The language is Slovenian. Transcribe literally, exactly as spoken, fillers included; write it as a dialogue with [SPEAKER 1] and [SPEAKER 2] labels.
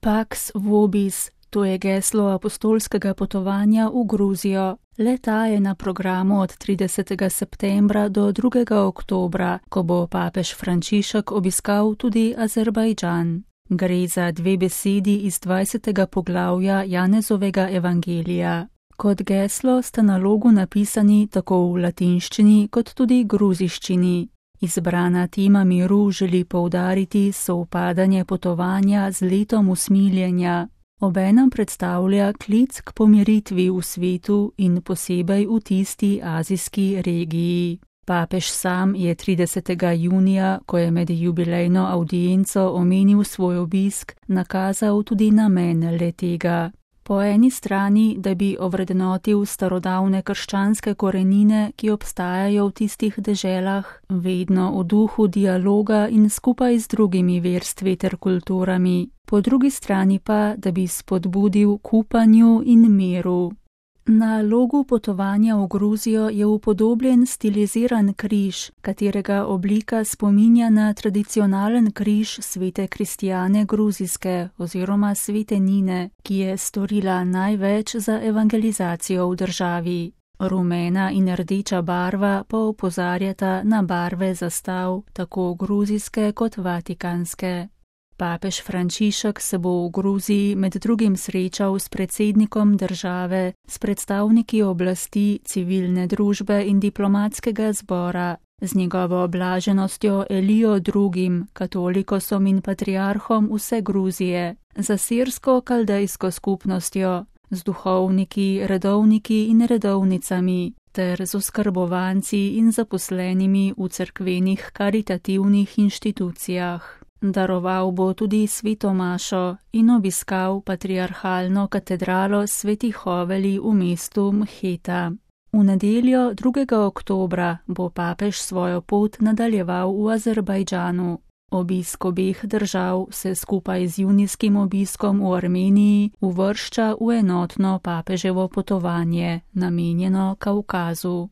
[SPEAKER 1] Pax vobis, to je geslo apostolskega potovanja v Gruzijo. Le-ta je na programu od tridesetega septembra do drugega oktobra, ko bo papež Frančišek obiskal tudi Azerbajdžan. Gre za dve besedi iz dvajsetega poglavja Janezovega evangelija. Kot geslo sta na logu napisani tako v latinščini kot tudi gruziščini. Izbrana tema miru želi poudariti sovpadanje potovanja z letom usmiljenja. Obenem predstavlja klic k pomiritvi v svetu in posebej v tisti azijski regiji. Papež sam je tridesetega junija, ko je med jubilejno avdienco omenil svoj obisk, nakazal tudi namen le-tega. Po eni strani, da bi ovrednotil starodavne krščanske korenine, ki obstajajo v tistih deželah, vedno v duhu dialoga in skupaj z drugimi verstvi ter kulturami. Po drugi strani pa, da bi spodbudil k upanju in miru. Na logu potovanja v Gruzijo je upodobljen stiliziran križ, katerega oblika spominja na tradicionalen križ svete Kristjane Gruzijske oziroma svete Nine, ki je storila največ za evangelizacijo v državi. Rumena in rdeča barva pa opozarjata na barve zastav, tako gruzijske kot vatikanske. Papež Frančišek se bo v Gruziji med drugim srečal s predsednikom države, s predstavniki oblasti, civilne družbe in diplomatskega zbora, z njegovo blaženostjo Elijo drugim, katolikosom in patriarhom vse Gruzije, z asirsko-kaldejsko skupnostjo, z duhovniki, redovniki in redovnicami, ter z oskrbovanci in zaposlenimi v cerkvenih karitativnih inštitucijah. Daroval bo tudi sveto mašo in obiskal patriarhalno katedralo svetih Hoveli v mestu Mheta. V nedeljo drugega oktobra bo papež svojo pot nadaljeval v Azerbajdžanu. Obisk obeh držav se skupaj z junijskim obiskom v Armeniji uvršča v enotno papeževo potovanje, namenjeno Kavkazu.